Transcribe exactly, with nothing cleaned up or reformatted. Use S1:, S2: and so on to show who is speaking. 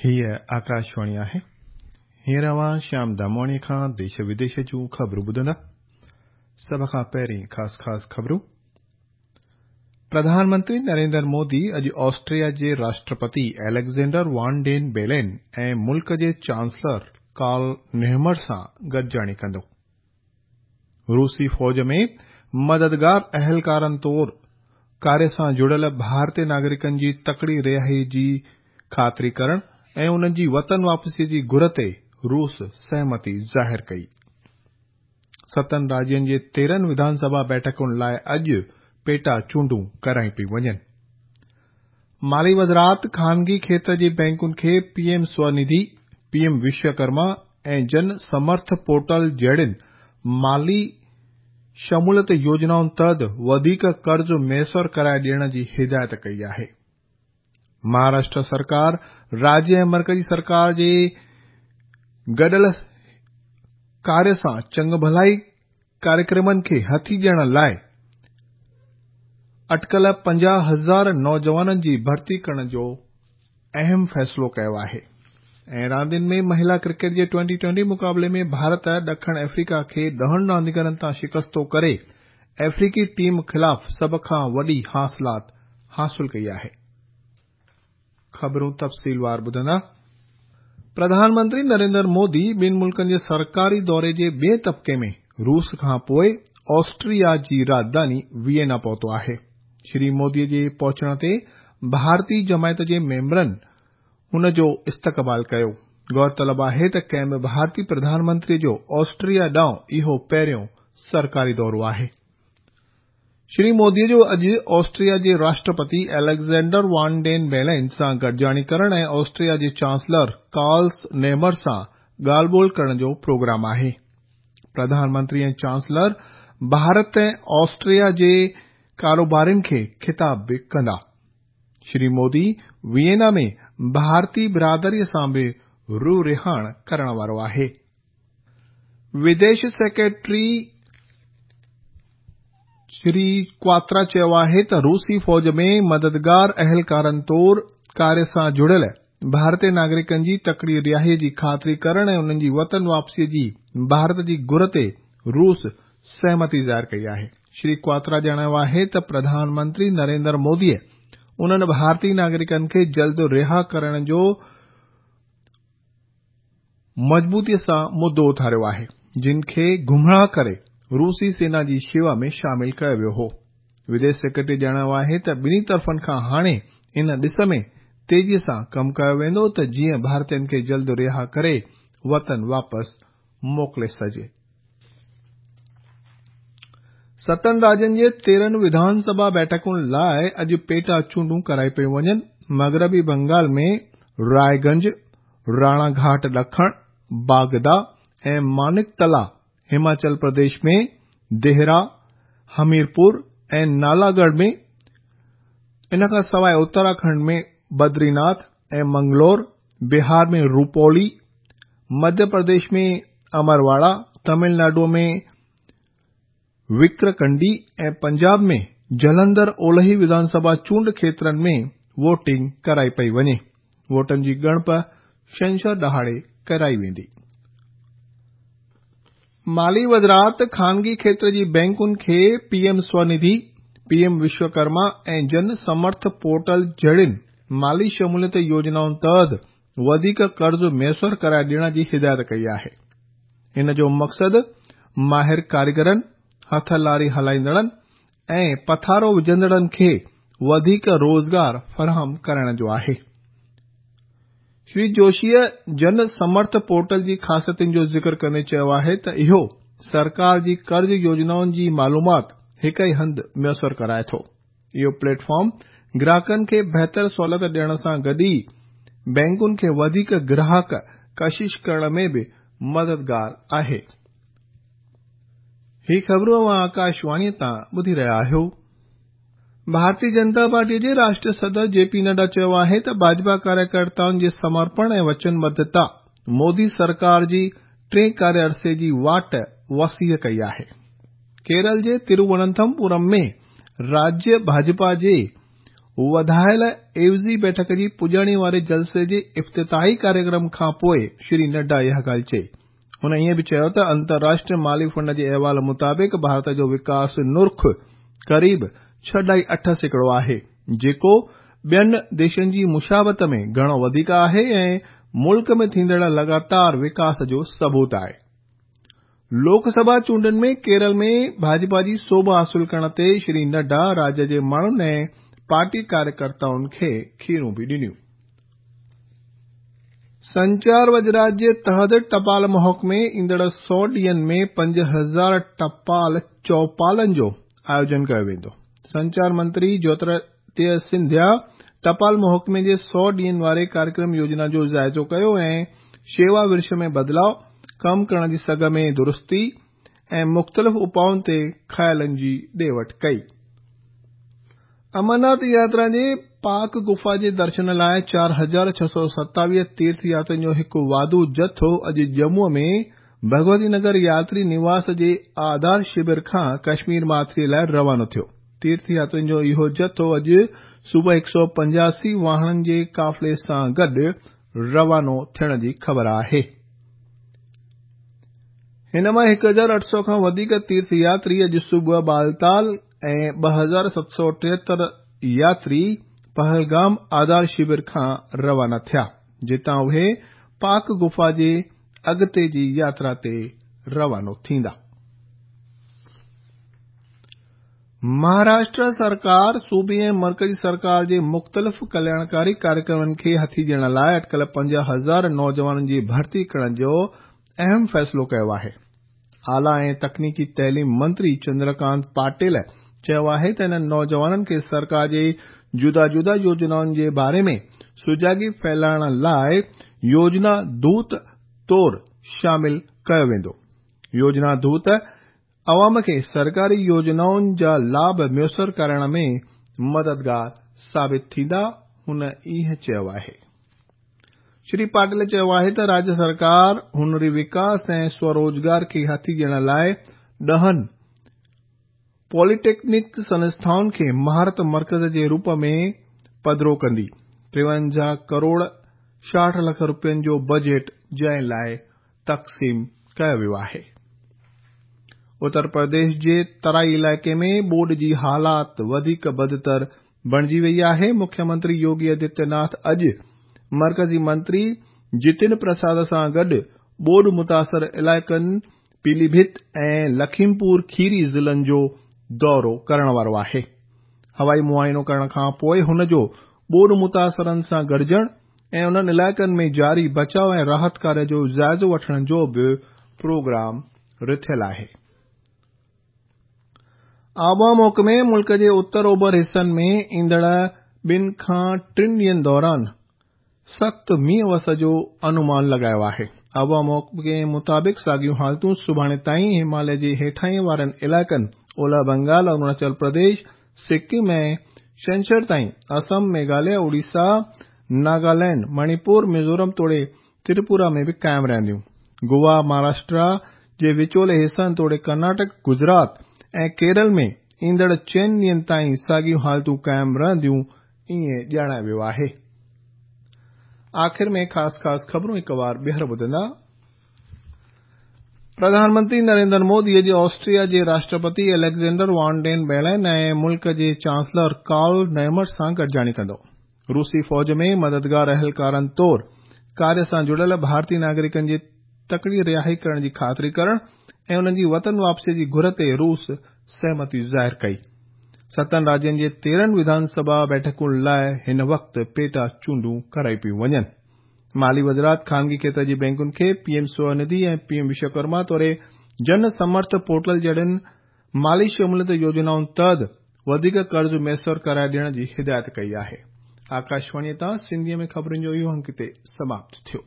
S1: हीअ आकाशवाणी आहे। हींअर अव्हां श्याम दामवाणीअ खां देश विदेश जूं ख़बरूं ॿुधंदा। सभ खां पहिरीं ख़ासि ख़ासि ख़बरूं। प्रधानमंत्री नरेंद्र मोदी अॼु ऑस्ट्रिया जे राष्ट्रपति एलेक्ज़ेंडर वान डेन बेलेन ऐं मुल्क जे चांसलर कार्ल नेहमर सां गॾिजाणी कंदो। रूसी फ़ौज में मददगार अहलकारनि तौर कार्य सां जुड़ियल भारतीय नागरिकनि जी तकड़ी रिहाई जी ख़ातिरी करण ऐं उन्हनि जी वतन वापसीअ जी घुर ते रूस सहमति ज़ाहिर कई। सतनि राज्यनि जे तेरहं विधानसभा बैठकुनि लाइ अॼु पेटा चूंडूं करायूं पियूं वञनि। माली वज़ारत ख़ानगी खेतर जे बैंकुनि खे पीएम स्वनिधि, पीएम विश्वकर्मा ऐं जन समर्थ पोर्टल जहिड़ियुनि माली शमूलियत योजनाउनि तहत वधीक कर्ज़ मयसर कराए ॾियण जी हिदायत कई आहे। महाराष्ट्र सरकार राज्य ऐं मर्कज़ी सरकार जे गॾियल कार्य सां चङभलाई कार्यक्रमनि खे हथी ॾियण लाइ अटकल पंजाह हज़ार नौजवाननि जी भर्ती करण जो अहम फ़ैसिलो कयो आहे। ऐं रांदियुनि में महिला क्रिकेट जे ट्वेंटी ट्वेंटी मुक़ाबले में भारत ॾखण अफ्रीका खे ॾहनि रांदीगरनि तां शिकस्तो करे अफ्रीकी टीम ख़िलाफ़ सभ खां वॾी हासिलात हासिल कई आहे। ख़बरूं तफ़सीलवार ॿुधंदा। प्रधानमंत्री नरेंद्र मोदी ॿिनि मुल्कनि जे सरकारी दौरे जे ॿिए तबक़े में रूस खां पोइ ऑस्ट्रिया जी राजधानी वियना पहुतो आहे। श्री मोदीअ जे पहुचण ते भारतीय जमायत जे मेंबरनि हुन जो इस्तक़बाल कयो। गौरतलब आहे त कंहिं बि भारतीय प्रधानमंत्रीअ जो ऑस्ट्रिया ॾांहुं इहो पहिरियों सरकारी दौरो आहे। श्री मोदीअ जो अॼु ऑस्ट्रिया जे राष्ट्रपति एलेक्ज़ेंडर वान डेन बेलेन सां गॾिजाणी करण ऐं ऑस्ट्रिया जे चांसलर कार्ल्स नेमर सां ॻाल्हि ॿोल करण जो प्रोग्राम आहे। प्रधानमंत्री ऐं चांसलर भारत ऐं ऑस्ट्रिया जे कारोबारियुनि खे ख़िताब बि कंदा। श्री मोदी वियना में भारतीय बिरादरीअ सां बि रूह रिहाण करण वारो आहे। विदेश सेक्रेटरी श्री क्वात्रा चयो आहे त रूसी फ़ौज में मददगार अहलकारनि तौर कार्य सां जुड़ियल भारतीय नागरिकनि जी तकड़ी रिहाईअ जी ख़ातिरी करण ऐं उन्हनि जी वतन वापसीअ जी भारत जी घुर ते रूस सहमति ज़ाहिर कई आहे। श्री क्वात्रा ॼाणायो आहे त प्रधानमंत्री नरेंद्र मोदीअ उन्हनि भारतीय नागरिकनि खे जल्द रिहा करण जो मज़बूतीअ सां मुद्दो उथारियो आहे, जिन खे गुमराह करे रूसी सेना जी शेवा में शामिल कयो वियो हो। विदेश सेक्रेटरी ॼाणायो आहे त ॿिन्ही तरफ़नि खां हाणे इन ॾिस में तेज़ीअ सां कमु कयो वेंदो त जीअं भारतीयनि खे जल्द रिहा करे वतन वापसि मोकिले सघिजे। सतनि राज्यनि जे तेरहं विधानसभा बैठकुनि लाइ अॼु पेटा चूंडूं करायूं पियूं वञनि। मग़रबी बंगाल में रायगंज, राणाघाट ॾखण, बागदा ऐं मानिकतला, हिमाचल प्रदेश में देहरा, हमीरपुर ऐं नालागढ़ में, इन खां सवाइ उत्तराखंड में बद्रीनाथ ऐं मंगलोर, बिहार में रूपौली, मध्य प्रदेश में अमरवाड़ा, तमिलनाडु में विक्रकंडी ऐं पंजाब में जलंधर ओलही विधानसभा चूंड खेत्रनि में वोटिंग कराई पई वञे। वोटनि जी ॻणप छंछर ॾहाड़े कराई वेंदी। माली वज़ारत ख़ानगी खेतर जी बैंकुनि खे पीएम स्वनिधि, पीएम विश्वकर्मा ऐं जन समर्थ पोर्टल जहिड़ियुनि माली शमूलियत योजनाउनि तहत वधीक कर्ज़ मयसर कराए ॾियण जी हिदायत कई आहे। इन जो मक़सदु माहिर कारीगरनि, हथ लारी हलाईंदड़नि ऐं पथारो विझंदड़नि खे वधीक रोज़गार फराहम करण जो आहे। श्री जोशीअ जन समर्थ पोर्टल जी ख़ासियतुनि जो ज़िक्र कंदे चयो आहे त इहो सरकार जी कर्ज़ योजनाउनि जी मालूमात हिक ई हंधि मयसर कराए थो। इहो प्लेटफॉर्म ग्राहकनि खे बहितर सहूलियत ॾियण सां गॾु ई बैंकुनि खे वधीक ग्राहक कशिश करण में बि मददगार आहे। ही ख़बरूं अव्हां आकाशवाणीअ तां ॿुधी रहिया आहियो। भारतीय जनता पार्टीअ जे राष्ट्रीय सदर जेपी नड्डा चयो आहे त भाजपा कार्यकर्ताउनि जे समर्पण ऐं वचनबद्धता मोदी सरकार जी टे कार्य अरसे जी वाट वसीअ कई आहे। केरल जे तिरुवनंतपुरम में राज्य भाजपा जे وڌايل عيوضي بيٺڪ جي پڄاڻي واري جلسي جي افتتاحي ڪاريڪرم کان پوءِ شري نڊا اها ڳالهه چئي. هن ائين به چيو ته انترراشٽريه مالي فنڊ جي احوال مطابق ڀارت جو وڪاس نرخ قريب ڇهه اڍائي اٺ سيڪڙو آهي، جيڪو ٻين ديشن جي مشابهت ۾ گهڻو وڌيڪ آهي ۽ ملڪ ۾ ٿيندڙ لڳاتار وڪاس جو ثبوت آهي. لوڪ سڀا چونڊن ۾ ڪيرل ۾ ڀاجپا جي سوڀ حاصل ڪرڻ تي شري نڊا راجيه جي ماڻهن ۽ پارٽي ڪاريڪرتائن کي کيرون به ڏنيون. سنچار وزارت جي تحت ٽپال محڪمي ايندڙ سؤ ڏينهن ۾ پنج هزار ٽپال چوپالن جو آيوجن ڪيو ويندو. سنچار منتري جيوترادتيه سنڌيا ٽپال محڪمي جي سؤ ڏينهن واري ڪاريڪرم يوجنا جو جائزو ڪيو ۽ شيوا ورش ۾ بدلاءُ، ڪم ڪرڻ جي سگهه ۾ درستي ۽ مختلف اپائن تي خيالن جي ڏي وٺ ڪئي. امرناٿ ياترا جي پاڪ گفا جي درشن لاءِ چار هزار ڇهه سؤ ستاويهه تيرٿ ياترين جو هڪ واڌو جٿو اڄ ڄمون ۾ ڀڳوتي نگر ياتري نواس جي آڌار شور کان ڪشمير ماٿري لاءِ روانو ٿيو. تيرٿ ياترين جو اهو جٿو اڄ صبح هڪ سؤ پنجاسي واهڻن جي قافلي سان گڏ روانو ٿيڻ جي خبر آهي. هن مان هڪ هزار اٺ سؤ کان وڌيڪ تيرٿ ياتري اڄ صبح بالتال ۽ ٻه هزار ست سؤ ٽيهتر ياتري پهلگام آڌار شور کان روانا ٿيا، جتان اهي پاڪ گفا جي اڳتي جي ياترا تي روانو ٿيندا. مهاراشٽر سرڪار صوبي ۽ مرڪزي سرڪار جي مختلف ڪلياڻڪاري ڪاريڪرمن کي هٿي ڏيڻ لاءِ اٽڪل پنج هزار نوجوانن جي ڀرتي ڪرڻ جو اهم فيصلو ڪيو آهي. اعليٰ ۽ تڪنيڪي تعليم منتري چندرڪانت پاٽيل چيو آهي ته انهن نوجوانن کي سرڪار جي جدا جدا يوجنائن جي باري ۾ سجاڳي ڦهلائڻ لاءِ يوجنا دوت طور شامل ڪيو ويندو. يوجنا دوت عوام کي سرڪاري يوجنائن جا لاڀ ميسر ڪرائڻ ۾ مددگار ثابت ٿيندا، هن ائين چيو آهي. شري پاٽيل چيو آهي ته راجيه سرڪار هنري وڪاس ۽ سوروزگار کي هٿي ڏيڻ لاءِ ڏهن پوليٽيڪنڪ سنسٿائن کي مهارت مرڪز جي روپ ۾ پڌرو ڪندي. ٽيونجاهه ڪروڙ ڇاهٺ لک رپين جو بجيٽ جنهن لاءِ تقسيم ڪيو ويو آهي. اتر پرديش جي ترائي علائقي ۾ ٻوڏ جي حالات وڌيڪ بدتر بڻجي وئي آهي. مکيه منتري يوگي آدتيه ناٿ اڄ مرڪزي منتري جتن پرساد سان گڏ ٻوڏ متاثر علائقن پيليڀت ۽ لکيمپور کيري ضلعن جو دورو ڪرڻ وارو آهي. هوائي معائنو ڪرڻ کان پوءِ هن جو ٻوڏ متاثرن سان گڏجڻ ۽ انهن علائقن ۾ جاري بچاءُ ۽ راحت ڪاريه جو جائزو وٺڻ جو به پروگرام رٿيل آهي. آبهوا محڪمي ملڪ جي اتر اوڀر حصن ۾ ايندڙ ٻن کان ٽن ڏينهن دوران سخت مينهن وس جو انومان لڳايو آهي. آبهوا محڪمي مطابق ساڳيون حالتون سڀاڻي تائين هماليه جي هيٺاهين وارن علائقن اولهه بنگال، اروناچل پرديش، سڪم ۽ ڇنڇر تائين اسم، ميگهاليه، اوڙيسا، ناگالينڊ، مڻيپور، ميزورم توڙي تريپورا ۾ به قائم رهنديون. گوا، مهاراشٽر جي وچولي حصن توڙي ڪرناٽڪ، گجرات ۽ ڪيرل ۾ ايندڙ چئن ڏينهن تائين ساڳيون حالتون قائم رهنديون، ائين ڄاڻايو ويو آهي. آخر ۾ خاص خاص خبرون هڪ وار ٻيهر ٻڌندا. پرڌان منتري نريندر مودي اڄ آسٽريا جي راشٽرپتي اليگزينڊر وان ڊين بيلن ۽ ملڪ جي چانسلر ڪارل نيمر سان گڏجاڻي ڪندو. روسي فوج ۾ مددگار اهلڪارن طور ڪاريه سان جڙيل ڀارتي ناگرڪن جي تڪڙي رهائي ڪرڻ جي خاطري ڪرڻ ۽ انهن جي وطن واپسي جي گهر تي روس سهمتي ظاهر ڪئي. ستن راجين جي تيرهن وڌان سڀا بيٺڪن لاءِ هن وقت پيٽا چونڊون ڪرائي پيون وڃن. مالي وزارت خانگي کيتر جي بينڪن کي P M Svanidhi ۽ P M Vishwakarma توڙي جن سمرٿ پورٽل جهڙين مالي شموليت يوجنائن تحت وڌيڪ قرض ميسر ڪرائي ڏيڻ جي هدايت ڪئي آهي. آڪاشواڻي تان سنڌيءَ ۾ خبرن جو اهو انڪ هتي سماپت ٿيو.